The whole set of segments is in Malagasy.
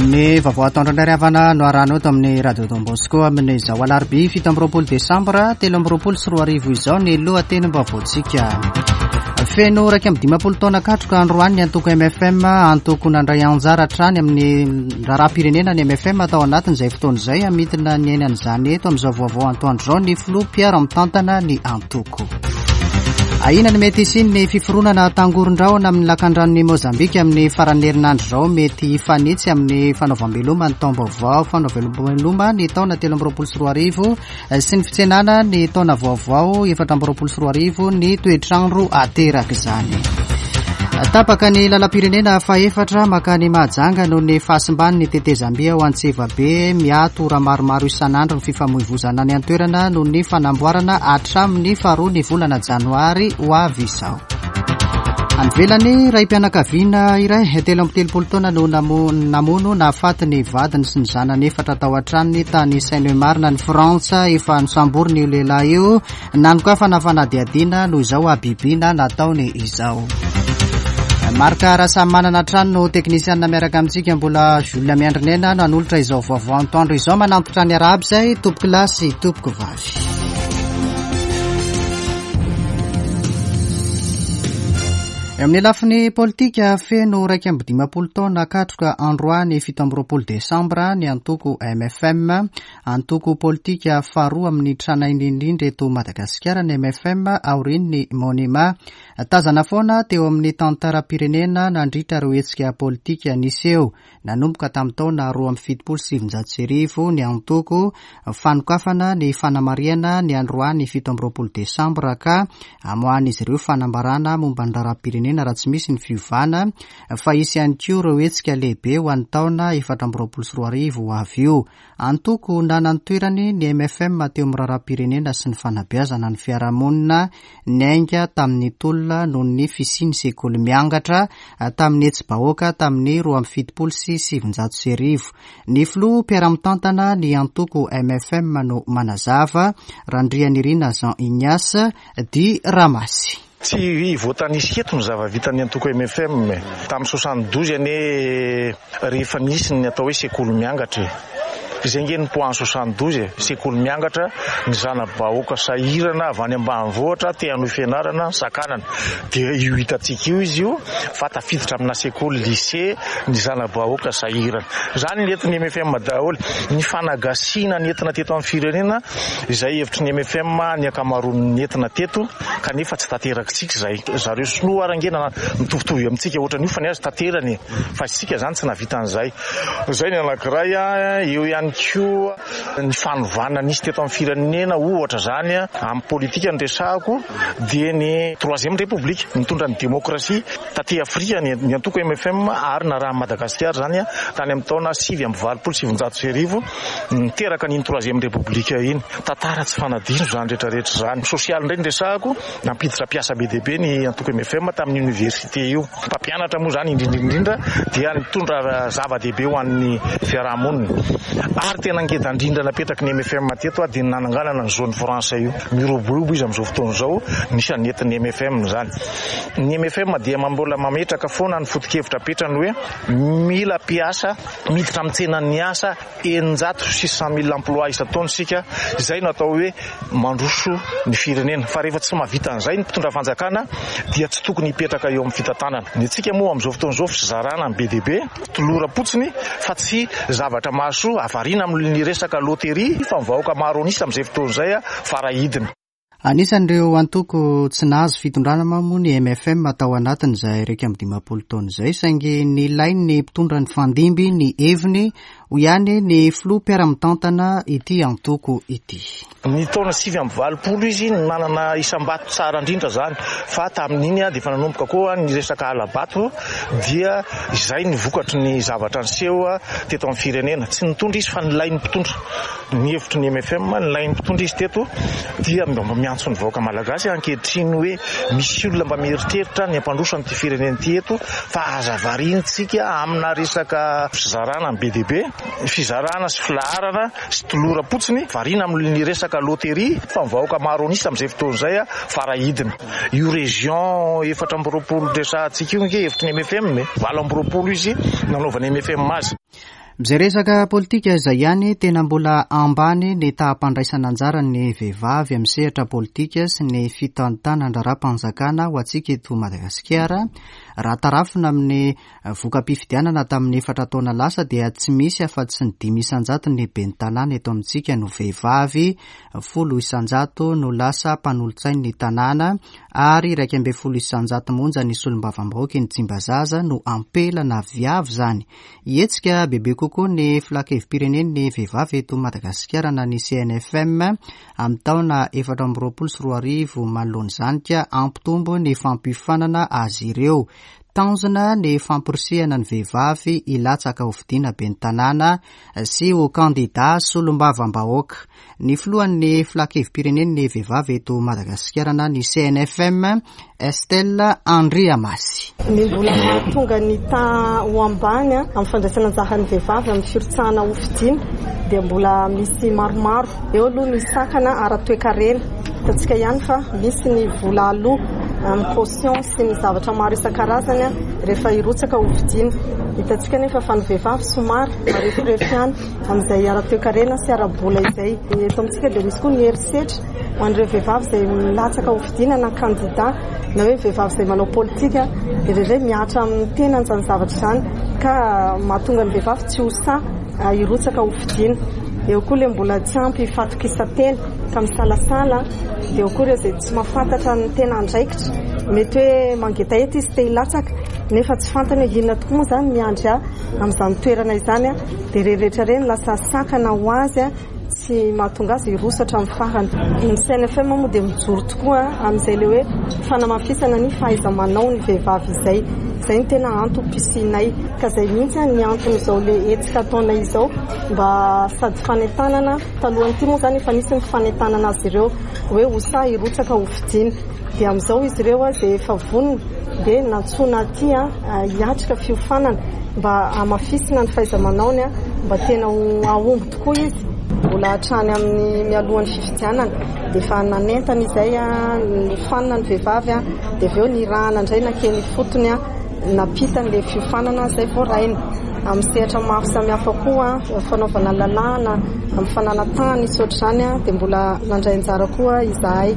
Ny vaovao atoandro indray ry havana no arahana eto amin'ny Radio Don Bosco amin'izao alarobia 27 desambra 2023 izao ny lohatenim-baovaontsika. Feno 51 taona katroka androany ny antoko MFM, antoko nandray anjara hatrany amin'ny raharaham-pirenena ny MFM tao anatin'izay fotoana izay. Hamintina ny ainan'izany eto amin'izao vaovao antoandro izao ny filoha mpiara-mitantana ny antoko. Ahiana ny mety hisian'ny fiforonana tangoron-drahona amin'ny lakandranon'i Mozambika amin'ny faran'ny herinandro izao mety hifanitsy amin'ny fanaovam-beloma ny taom-baovao fanaovam-beloma ny taona 2023 sy ny fitsenana ny taona vaovao 2024 ny toetr'andro aterak'izany. Tapaka ny lalam-pirenena fahefatra makany Mahajanga noho ny fahasimban'ny tetezamby ao Antsevabe. Miato ora maromaro isan'andro ny fifamoivozana any an-toerana noho ny fanamboarana hatramin'ny faharoa ny volana janoary ho avy izao. Any ivelany, raim-pianakaviana iray 33 taona no namono nahafaty ny vadiny sy ny zanany efatra tao an-tranony tany Seine-et-Marne any Frantsa. Efa nosamborina io lehilahy io. Nanokafana fanadihadiana noho izao habibiana nataony izao. Marc Rasamimanana hatrany no teknisianina miaraka amintsika. Mbola Jules Miandrinena no hanolotra izao vaovao antoandro izao. Manantitra ny arahaba izay tompoko lahy sy tompoko vavy. Eo amin'ny lafiny politika, feno 51 taona katroka androany 27 desambra ny antoko MFM. Antoko politika faharoa amin'ny tranainy indrindra eto Madagasikara ny mfm aorian'ny Monima. Tazana foana teo amin'ny tantaram-pirenena nandritra ireo hetsika politika niseho nanomboka tamin'ny taona 1972 ny antoko fanokafana ny fanamarihana ny androany 27 desambra ka amoahan'izy ireo fanambarana momba ny raharaham-pirenena raha tsy misy ny fiovana fa hisy ihany koa ireo hetsika lehibe ho an'ny taona 2024 ho avy io. Antoko nana ny toerany ny mfm teo amin'ny raharaham-pirenena sy ny fanabeazana ny fiarahamonina niainga tamin'ny tolona noho ny fisian'ny sekoly miangatra tamin'ny hetsi-bahoaka tamin'ny 1972. Ny filoha mpiara-mitantana ny antoko mfm no manazava, Randrianirina Jean Ignace, dit Ramasy. Tsy voatanisa eto ny zava-vitan'ny antoko mfm e. Tamin'ny 72 anie rehefa nisy ny atao hoe sekoly miangatra e. Izay ange ny point 72 e, sekoly miangatra, ny zana-bahoaka sahirana avy any ambanivohitra te hanohy fianarana, sakanana. Dia io hitantsika io izy io fa tafiditra amina sekoly lycée ny zana-bahoaka sahirana. Izany ny entin'ny mfm daholo. Ny fanagasiana ny entina teto amin'ny firenena, izay hevitry ny mfm ny ankamaroan'ny nentina teto kanefa tsy tanterakitsika izay. Zareo sinoa ary ange mitovitovy amintsika ohatran'io fa ny azy tanterany e! Fa isika izany tsy nahavita an'izay. Izay ny anankiray. Eo ihany koa ny fanovana nisy teto amin'ny firenena ohatra izany amin'ny politika no resahako dia ny troisième république nitondra ny demokrasia taty Afrika ny antoko mfm ary narahan'i Madagasikara izany tany amin'ny taona 1989. Niteraka an'iny troisième république iny. Tantara tsy fanadino izany rehetra rehetra izany. Sosialy indray no resahako, nampiditra mpiasa be dia be ny antoko mfm tamin'ny université io. Mpampianatra moa izany indrindra indrindra dia nitondra zava-dehibe ho an'ny fiaraha-monina. Ary tena ngeda indrindra napetraky ny mfm teto dia ny nananganana ny zone franche io. Miroborobo izy amin'izao fotoana izao, anisan'ny nentin'ny mfm izany. Ny mfm dia mbola mametraka foana ny foto-kevitra apetrany hoe mila mpiasa Miditra amin'ny tsenan'ny asa 600 mille emplois isan-taona isika, izay no atao hoe mandroso ny firenena. Fa rehefa tsy mahavita an'izay ny mpitondra fanjakana dia tsy tokony hipetraka eo amin'ny fitantanana. Ny antsika moa amin'izao fotoana izao fizarana ny be dia be, toloram-potsiny fa tsy zavatra mahasoa, havarina amin'ny resaka loterie fa ny vahoaka maro an'isa amin'izay fotoana izay farahidiny. Anisan'ireo antoko tsy nahazo fitondrana moa ny mfm tao anatin'izay 51 taona izay, saingy nilain'ny mpitondra nifandimby ny heviny, hoy ihany ny filoha mpiara-mitantana ity antoko ity. Ny taona 89 izy no nanana isam-bato tsara indrindra izany, fa tamin'iny dia efa nanomboka koa ny resaka hala-bato dia izay ny vokatry ny zavatra niseho teto amin'ny firenena. Tsy nitondra izy fa nilain'ny mpitondra. Ny hevitry ny mfm, nilain'ny mpitondra izy teto dia mba miantso ny vahoaka malagasy ankehitriny hoe misy olona mba mieritreritra ny hampandroso an'ity firenena ity eto fa aza variantsika amina resaka fizarana be dia be, fizarana sy filaharana sy toloram-potsiny, variana amin'ny resaka loterie fa ny vahoaka maro an'isa amin'izay fotoana izay farahidiny. Io région 24 resahantsika io ange hevitry ny mfm e, 28 izy nanaovan'ny mfm azy. Izay resaka politika izay ihany, tena mbola ambany ny taham-pandraisana anjaran'ny vehivavy amin'ny sehatra politika sy ny fitantanan-draharaham-panjakana ho antsika eto Madagasikara. Raha tarafina amin'ny voka-pifidianana tamin'ny efatra taona lasa dia tsy misy afa-tsy ny 5% ny ben'ny tanàna eto amintsika no vehivavy, 10% no lasa mpanolotsain'ny tanàna ary 11% monja ny solombavambahoaka eny Tsimbazaza no ampela na viavy izany. Hihetsika bebe kokoa ny Filankevi-pirenen'ny vehivavy eto Madagasikara na ny CNFM amin'ny taona 2024 manoloana izany ka hampitombo ny fampiofanana azy ireo. Tanjona ny famporisihana ny vehivavy hilatsaka hofidiana ben'ny tanàna sy ho kandida solombavambahoaka. Ny filohan'ny Filankevi-pirenen'ny vehivavy eto Madagasikara na ny CNFM, Estelle Andriamasy. Ny mbola mahatonga ny taha ho ambany amin'ny fandraisana anjaran'ny vehivavy amin'ny firotsahana hofidiana dia mbola misy maromaro. Eo aloha ny sakana ara-toekarena. Hitantsika ihany fa misy ny vola aloa amin'ny caution sy ny zavatra maro isan-karazany rehefa hirotsaka hofidiana. Hitantsika anefa fa ny vehivavy somary mareforefo ihany. Amin'izay ara-toekarena sy ara-bola izay. Eto amintsika dia misy koa ny herisetra ho an'ireo vehivavy izay milatsaka ho fidiana na kandida na hoe vehivavy izay manao politika dia indraindray mihatra amin'ny tenany izany zavatra izany ka mahatonga ny vehivavy tsy ho sahy hirotsaka ho fidiana. Eo koa ilay mbola tsy ampy fahatokisan-tena ka misalasala, dia eo koa ireo izay tsy mahafantatra ny tena andraikitra, mety hoe mangetaheta izy te hilatsaka nefa tsy fantany hoe inona tokoa moa izany miandry ahy amin'izany toerana izany. Dia ireny rehetra ireny lasa sakana ho azy tsy mahatonga azy hiroso hatramin'ny farany. Ny CNFM moa dia mijoro tokoa amin'izay ilay hoe fanamafisana ny fahaiza-manao ny vehivavy izay. Izay no tena antom-pisianay. Ka izay mihitsy ny anton'izao ilay hetsika ataonay izao mba sady fanentanana, talohan'ity moa izany efa nisy ny fanentanana azy ireo hoe ho sahy hirotsaka ho fidiana. Dia amin'izao izy ireo izay efa vonona dia nantsoina aty hiatrika fiofanana mba hamafisina ny fahaiza-manaony mba tena ho hahomby tokoa izy. Mbola hatrany amin'ny mialohan'ny fifidianana dia efa nanentana izay, nofanina ny vehivavy dia avy eo nirahana indray nankeny ifotony nampita an'ilay fiofanana izay voarainy. Amin'ny sehatra maro samihafa koa, fanaovana lalàna, amin'ny fananan-tany sy ohatr'izany dia mbola nandray anjara koa izahay.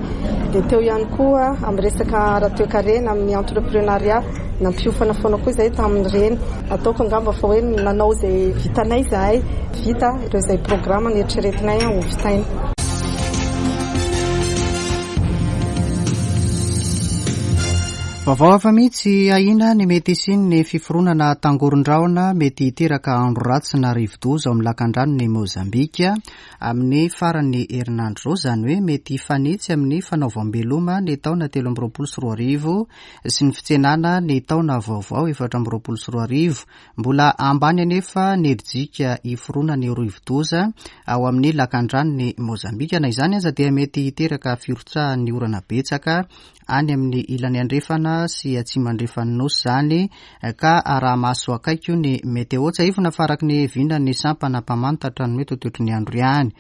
Dia teo ihany koa amin'ny resaka ara-toekarena, amin'ny entrepreneuriat, nampiofana foana koa izahay tamin'ireny. Ataoko angamba fa hoe nanao izay vitanay izahay, vita ireo izay programa neritreretinay ho vitaina. Vaovao hafa mihitsy ahiana ny mety hisian'ny fiforonana tangoron-drahona mety hiteraka andro ratsy na rivodoza ao amin'ny lakandranon'i Mozambika amin'ny faran'ny herinandro izao, izany hoe mety hifanitsy amin'ny fanaovam-beloma ny taona 2023 sy ny fitsenana ny taona vaovao 2024. Mbola ambany anefa ny herijika hiforonan'ny rivodoza ao amin'ny lakandranon'i Mozambika. Na izany aza dia mety hiteraka firotsahan'ny orana betsaka any amin'ny ilany andrefana sy atsimo andrefan'ny Nosy izany ka araha-maso akaiky ny meteo. Tsiahivina fa araka ny vinan'ny sampana mpamantatra ny mety ho toetry ny andro ihany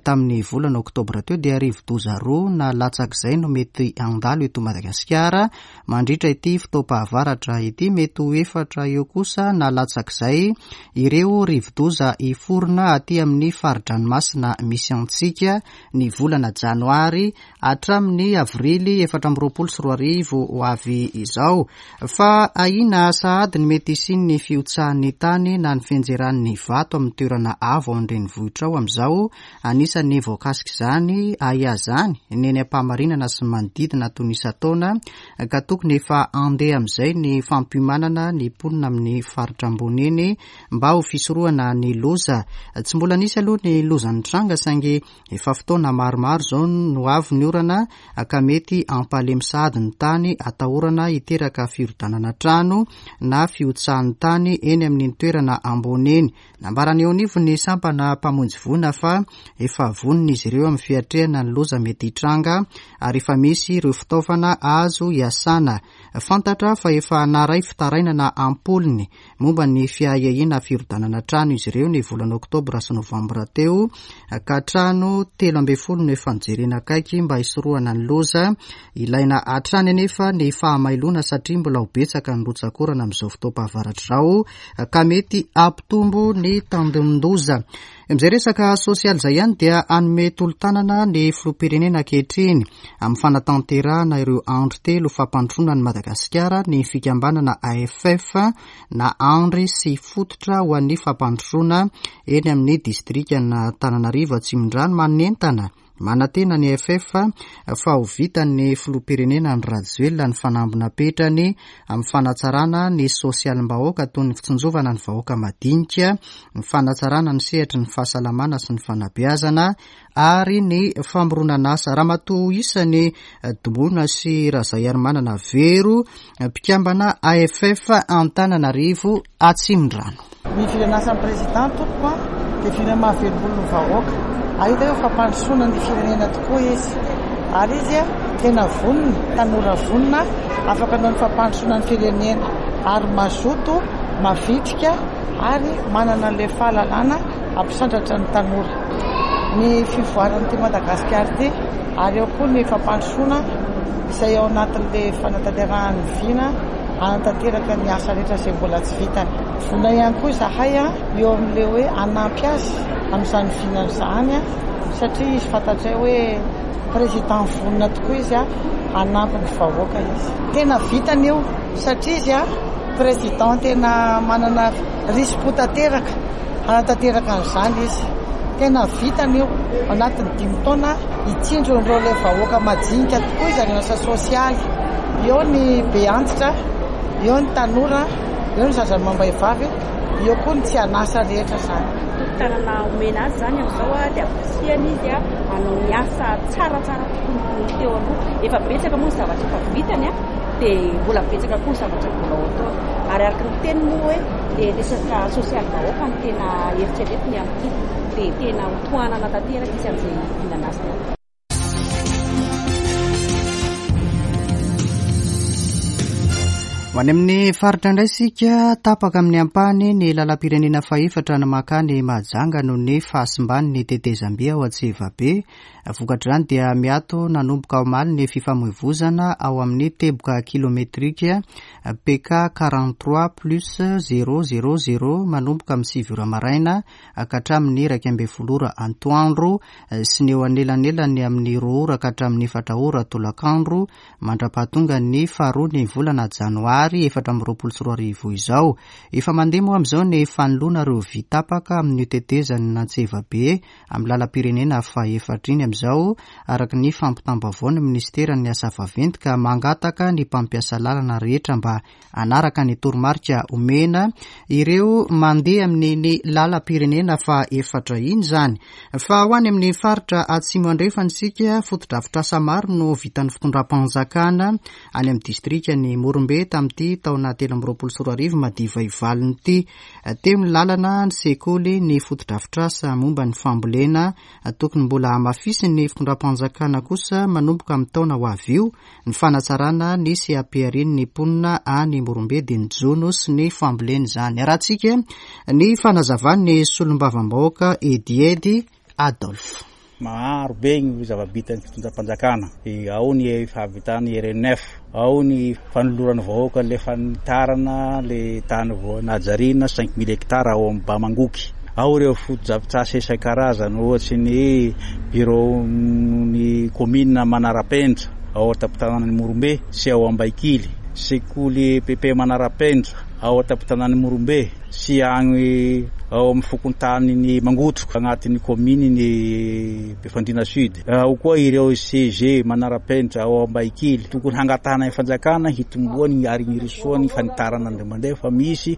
tamin'ny volana oktobra teo dia rivodoza roa na latsak'izay no mety handalo eto Madagasikara mandritra ity fotoam-pahavaratra ity. Mety ho efatra eo kosa na latsak'izay ireo rivodoza hiforona aty amin'ny fari-dranomasina misy antsika ny volana janoary hatramin'ny avrily 2024 ho avy izao. Fa ahiana sahady ny mety hisian'ny fihotsahan'ny tany na ny fianjeran'ny vato amin'ny toerana avo ao an-drenivohitra ao amin'izao. Anisan'ny voakasik'izany ahiazany ny eny Ampamarinana sy ny manodidina toy ny isan-taona ka tokony efa handeha amin'izay ny fampiomanana ny mponina amin'ny faritra ambony eny mba ho fisorohana ny loza. Tsy mbola nisy aloha ny loza nitranga saingy Efa fotoana maromaro izao no avy ny orana ka mety hampalemy sahady ny tany atahorana hiteraka firodanana trano na fihotsahan'ny tany eny amin'iny toerana ambony iny. Nambaran'ny eo anivon'ny sampana mpamonjy voina fa efa vonona izy ireo amin'ny fiatrehana ny loza mety hitranga ary efa misy ireo fitaovana azo hiasana. Fantatra fa efa naharay fitarainana am-polony momba ny fiahiahiana firodanana trano izy ireo ny volana oktobra sy novambra teo ka trano 13 no efa nojerena akaiky mba hisorohana ny loza. Ilaina hatrany anefa ny fahamarinana. fahamailoana satria mbola ho betsaka ny rotsak'orana amin'izao fotoam-pahavaratra izao ka mety hampitombo ny tandindoza. Amin'izay resaka sosialy izay ihany dia hanome tolo-tanana ny filoham-pirenena ankehitriny amin'ny fanatanterahana ireo andry telo fampandrosoana an'i Madagasikara ny fikambanana AFF na Andry sy Fototra ho an'ny fampandrosoana eny amin'ny distrikan'Antananarivo Atsimondrano manentana Manantena ny AFF fa ho vitan'ny filoham-pirenena Andry Rajoelina ny fanamby napetrany amin'ny fanatsarana ny sosialim-bahoaka toy ny fitsinjovana ny vahoaka madinika, ny fanatsarana ny sehatry ny fahasalamana sy ny fanabeazana ary ny famoronan'asa. Ramatoa isany Domoina sy Razaiarimanana Vero, mpikambana AFF Antananarivo Atsimondrano. Ny firen'asan'ny Président tompoko a, dia firenena mahavelom-bolo ny vahoaka. Ary hita hoe fampandrosoana ny firenena tokoa izy. Ary izy tena vonona, tanora vonona, afaka hanao ny fampandrosoana ny firenena. Ary mazoto, mavitrika ary manana an'ilay fahalalana hampisandratra ny tanora. Ny fivoaran'ity Madagasikara ity ary eo koa ny fampandrosoana izay ao anatin'ilay fanatanterahany ny vina hanatanteraka ny asa rehetra izay mbola tsy vitany. Vonona ihany koa izahay eo amin'ilay hoe hanampy azy amin'izany vinany izany satria izy fantatray hoe président vonona tokoa izy hanampy ny vahoaka izy. Tena vitany io satria izy président tena manana risi-po tanteraka hanatanteraka an'izany izy. Tena vitany io anatin'ny dimy taona hitsinjo an'ireo ilay vahoaka majinika tokoa izy any asa sosialy. Eo ny be antitra, eo ny tanora, eo ny zaza amam-behivavy, eo koa ny tsy an'asa rehetra izany. Tolo-tanana omena azy izany amin'izao dia ampirisihana izy hanao ny asa tsaratsara kokoa noho ny teo aloha. Efa betsaka moa ny zavatra efa vitany dia mbola betsaka koa ny zavatra mbola ho ataony. Ary araka ny teniny moa hoe dia resaka sosialim-bahoaka no tena eritreretiny amin'ity dia tena ho tohanana tanteraka izy amin'izay vinan'asany atao. Ho any amin'ny faritra indray isika, tapaka amin'ny ampahany ny lalam-pirenena fahefatra ny mankany Mahajanga noho ny fahasimban'ny tetezam-by ao Antsirabe. Vokatr'izany dia miato nanomboka omaly ny fifamoivozana ao amin'ny teboka kilometrika PK 43 plus 000 manomboka amin'ny 9 ora maraina ka hatramin'ny 11 ora antoandro sy ny eo anelanelan'ny amin'ny 2 ora ka hatramin'ny 4 ora tolakandro mandra-pahatonga ny faharoa ny volana janoary 2024 izao. Efa mandeha moa amin'izao ny fanoloana ireo vy tapaka amin'io tetezan'Antsevabe amin'ny lalam-pirenena fahefatra iny amin'izao, araka ny fampitam-baovao ny minisiteran'ny asa vaventy ka mangataka ny mpampiasa lalana rehetra mba hanaraka ny toromarika omena ireo mandeha amin'iny lalam-pirenena fahefatra iny izany. Fa ho any amin'ny faritra Atsimo Andrefana isika, fotodrafitrasa maro no vitan'ny fitondram-panjakana any amin'ny distrikan'i Morombe tamin'ity taona 2023 madiva hivalona ity. Teo ny lalana, ny sekoly, ny fotodrafitrasa momba ny fambolena. Tokony mbola hamafisin'ny fitondram-panjakana kosa manomboka amin'ny taona ho avy io ny fanatsarana ny seha-piharian'ny mponina any Morombe dia ny jono sy ny fambolena izany. Arahantsika ny fanazavan'ny solombavambahoaka Ediedy Adolphe. Maro be ny zava-bitan'ny fitondram-panjakana. Ao ny fahavitan'ny RNF, ao ny fanoloran'ny vahoaka ilay fanitarana ilay tany vao nahajariana 5000 hectares ao amin'ny Bamangoky. Ao ireo fotodrafitrasa isan-karazany ohatry ny biraon'ny kaominina Manarapenitra ao an-tampon-tanànan'i Morombe sy ao Ambaikily, sekoly EPP Manarapenitra ao an-tampon-tanàn'i Morombe, sy agny ao amin'ny fokontanin'i Mangotroka agnatin'ny kaominin'i Befandriana Sud. Ao koa ireo CG manara-penitra ao Ambahikely. Tokony hangatahana ny fanjakana hitomboany ary hirosoany fanitarana indray mandeha fa misy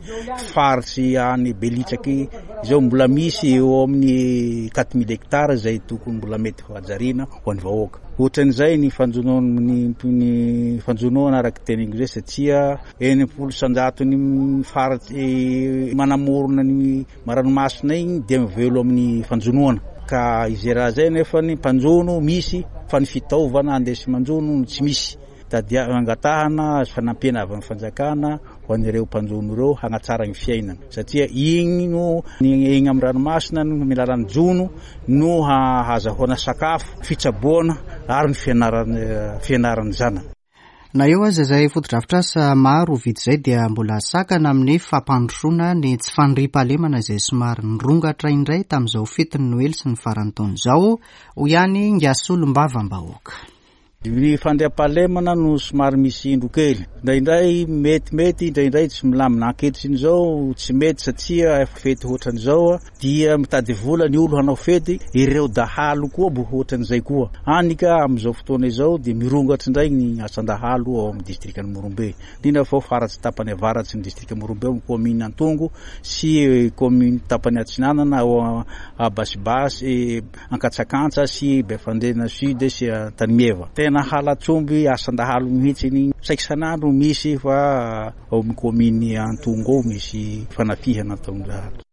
faritsy any Belitsaky izao mbola misy eo amin'ny 4000 hectares izay tokony mbola mety ho hajariana ho an'ny vahoaka. Ohatran'izay ny fanjonoana ny fanjonoana araka ny teniko izay satria 60 isanjaton'ny faritsy manamorona ny ranomasina igny dia mivelo amin'ny fanjonoana ka izay raha zay nefa ny mpanjono misy fa ny fitaovana andesy manjono no tsy misy tadia angatahana azo fanampiana avy amin'ny fanjakana ho an'ireo mpanjono ireo hagnatsara ny fiainana satria igny no ny egny amin'ny ranomasina no amin'ny alalan'ny jono no hahazahoana sakafo, fitsaboana ary ny fianarana fianaran'ny zanany. Na eo aza izay fotodrafitrasa maro vita izay dia mbola sakana amin'ny fampandrosoana ny tsy fandriampahalemana izay somary nirongatra indray tamin'izao fetin'ny Noely sy ny faran'ny taona izao, hoy ihany Ingahy Solombavambahoaka. Ny fandriampahalemana no somary misy indro kely. Indraindray metimety, indraindray tsy milamina. Ankehitriny izao tsy mety satria fety ohatran'izao dia mitady vola ny olo hanao fety, ireo dahalo koa mbo ohatran'izay koa. Hany ka amin'izao fotoana izao dia mirongatra indray ny asan-dahalo ao amin'ny distrikan'i Morombe. Indrindra fa ao faratsy tapany avaratry ny distrika Morombe ao amin'ny kaominina Antongo sy kaominina tapany atsinanana ao Basibasy, Ankatsakantsa sy Befandriana Sud sy Antanimieva. Tena halatr'omby asan-dahalo mihitsy iny. Saika isan'andro misy fa ao amin'ny kaominina Antongo ao misy fanafihana ataon'ny dahalo.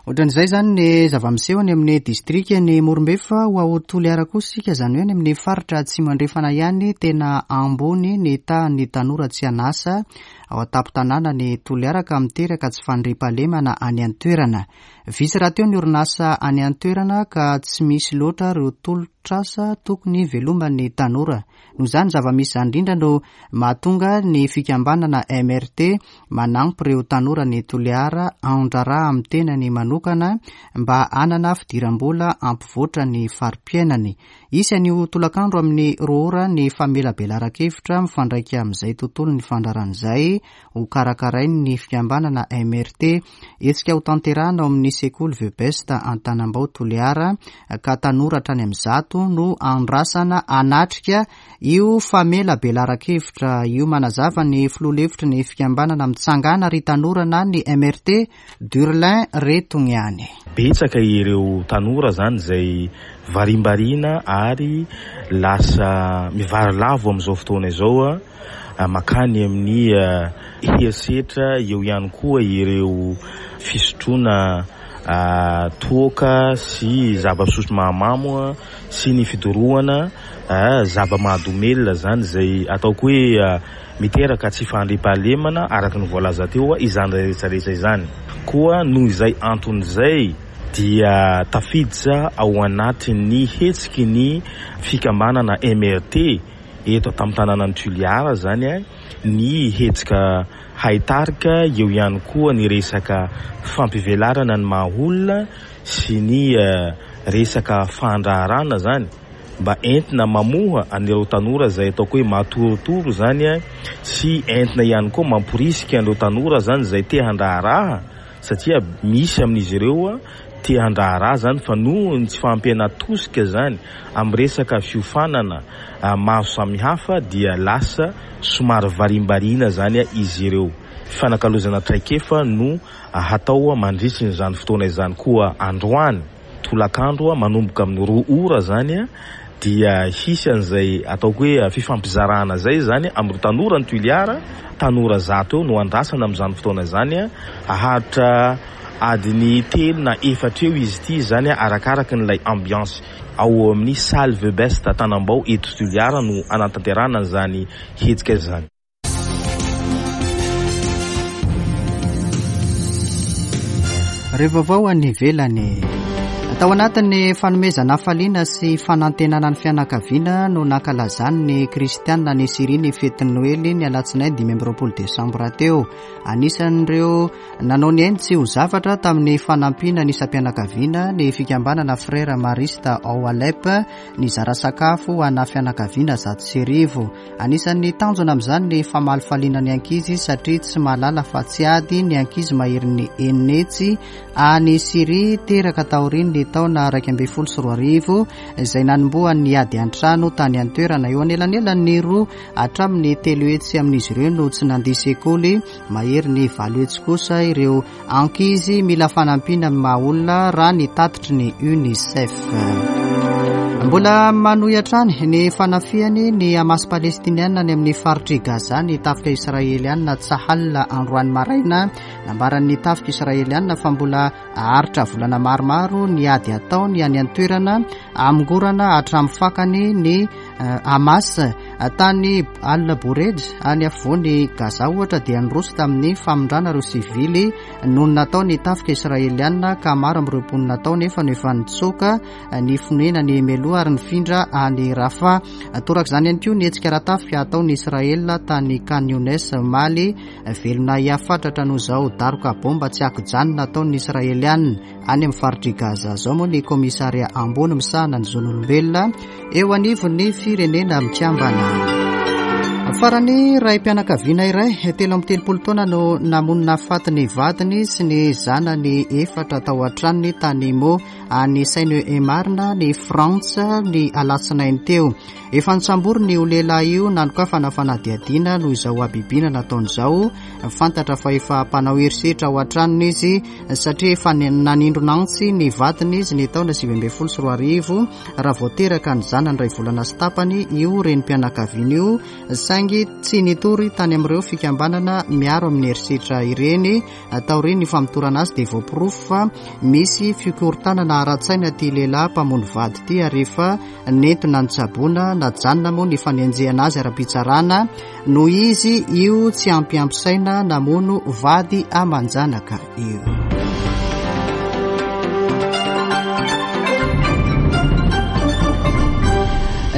Ohatran'izay izany ny zava-miseho any amin'ny distrikan'i Morombe fa ho ao Toliara kosa isika, izany hoe any amin'ny faritra Atsimo Andrefana ihany, tena ambony ny tahan'ny tanora tsy an'asa ao an-tampon-tanànan'i Toliara ka miteraka tsy fandriampahalemana any an-toerana. Vitsy rahateo ny orinasa any an-toerana ka tsy misy loatra ireo tolotr'asa tokony hiveloman'ny tanora. Noho izany zava-misy izany indrindra no mahatonga ny fikambanana MRT manampy ireo tanora any Toliara handraharaha amin'ny tenany manokana mba hanana fidiram-bola hampivoatra ny fari-piainany. Hisy anio tolakandro amin'ny roa ora ny famelabelaran-kevitra mifandraika amin'izay tontolon'ny fandraharahana izay ho karakarain'ny fikambanana MRT. Hetsika hotanterahina ao amin'ny sekoly The Best Antanambao Toliara ka tanora hatrany amin'ny 100 no andrasana hanatrika io famelabelaran-kevitra io. Manazava ny filoha lefitry ny fikambanana Mitsangana ry tanora na ny MRT, Durlin Retogniany. Betsaka ireo tanora izany izay varimbariana ary lasa mivarilavo amin'izao fotoana izao. Mankany amin'ny herisetra, eo ihany koa ireo fisotroana toaka sy zava-pisotro mahamamo sy ny fidorohana zava-mahadomelina izany izay ataoko hoe miteraka tsy fahandriampahalemana araka ny voalaza teo izany rehetra rehetra izany. Koa noho izay antony izay dia tafiditra ao anatin'ny hetsiky ny fikambanana MRT Eto an-tampon-tanànan'i Toliara izany ny hetsika haitarika, eo ihany koa ny resaka fampivelarana ny maha olona sy ny resaka fandraharana izany mba entina mamoha an'ireo tanora izay ataoko hoe matorotoro izany sy entina ihany koa mamporisika an'ireo tanora izany izay te handraharaha satria misy amin'izy ireo te handraharaha zany fa noho ny tsy fahampiana tosika zany amin'ny resaka fiofanana maro samihafa dia lasa somary varimbariana zany izy ireo. Fifanakalozana traikefa no hatao mandritry izany fotoana izany koa androany. Tolakandro manomboka amin'ny roa ora izany dia hisy an'izay ataoko hoe fifampizarana izay izany amin'ireo tanora ny Toliara, tanora 100 eo no andrasana amin'izany fotoana izany, haharitra adiny telo na efatra eo izy ity izany arakaraka an'ilay ambiance. Ao amin'ny salle The Best Tanambao eto Toliara no hanatanterahana an'izany hetsika izany. Ireo vaovao any ivelany. Tao anatin'ny fanomezana hafaliana sy fanantenana ny fianakaviana no nankalazan'ny kristianina any Syria ny fetin'ny Noely ny alatsinainy 25 desambra teo. Anisan'ireo nanao ny ainy tsy ho zavatra tamin'ny fanampiana ny isam-pianakaviana ny fikambanana Frères Maristes ao Alep nizara sakafo ho ana fianakaviana 1100. Anisan'ny tanjona amin'izany ny famalifaliana ny ankizy satria tsy mahalala fa tsy ady ny ankizy maherin'ny 600 any Syria teraka taorian'ny taona 2011 izay nanombohan'ny ady an-trano tany an-toerana. Eo anelanelan'ny roa hatramin'ny 300 amin'izy ireo no tsy nandia sekoly, maherin'ny 800 kosa ireo Ankizy mila fanampiana amin'ny maha olona raha ny tatitry ny UNICEF. Mbola manohy hatrany ny fanafihany ny Hamas palestiniana any amin'ny faritr'i Gaza ny tafika israeliana Tsahal androany maraina. Nambaran'ny tafika israeliana fa mbola haharitra volana maromaro ny ady ataony any an-toerana hamongorana hatramin'ny fakany ny Hamas. Tany Al Bureij, any afovoan'i Gaza ohatra dia niroso tamin'ny famindrana ireo sivily nonina tao ny tafika israeliana ka maro amin'ireo mponina tao nefa no efa nitsoaka ny fonenany mialoha ary nifindra any Rafah. Torak'izany ihany koa ny hetsika ara-tafika ataon'i Israel tany Khan Younes omaly. Velona ahiahy fatratra noho izao daroka baomba tsy ankijanona ataon'ny Israeliana any amin'ny faritr'i Gaza izao moa ny Komisaria ambony misahana ny zon'olombelona eo anivon'ny Firenena Mikambana. Farany, raim-pianakaviana iray 33 taona no namono nahafaty ny vadiny sy ny zanany efatra tao an-tranony tany Meaux any Seine-et-Marne ny Frantsa ny alatsinainy teo. Efa nosamborina io lehilahy io nanokafana fanadihadiana noho izao habibiana nataony izao. Fantatra fa efa mpanao herisetra ao an-tranony izy satria efa nanindrona antsy ny vadiny izy ny taona 2019 raha vao teraka ny zanany iray volana sy tapany io renim-pianakaviana io saingy tsy nitory tany amin'ireo fikambanana miaro amin'ny herisetra ireny. Taorian'ny famotorana azy dia voaporofo fa misy fikorontanana ara-tsaina ity lehilahy mpamono vady ity ary efa nentina nitsaboana. Najanona moa ny fanenjehana azy ara-pitsarana noho izy io tsy ampiampy saina namono vady aman-janaka io.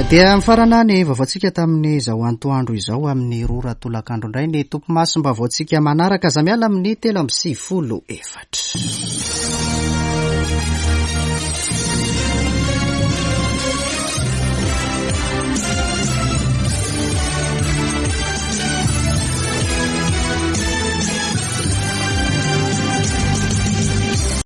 Dia mifarana ny vaovaontsika tamin'izao antoandro izao amin'ny roa ora tolakandro indray ny topimasom-baovaontsika manaraka. Aza miala amin'ny 93 4.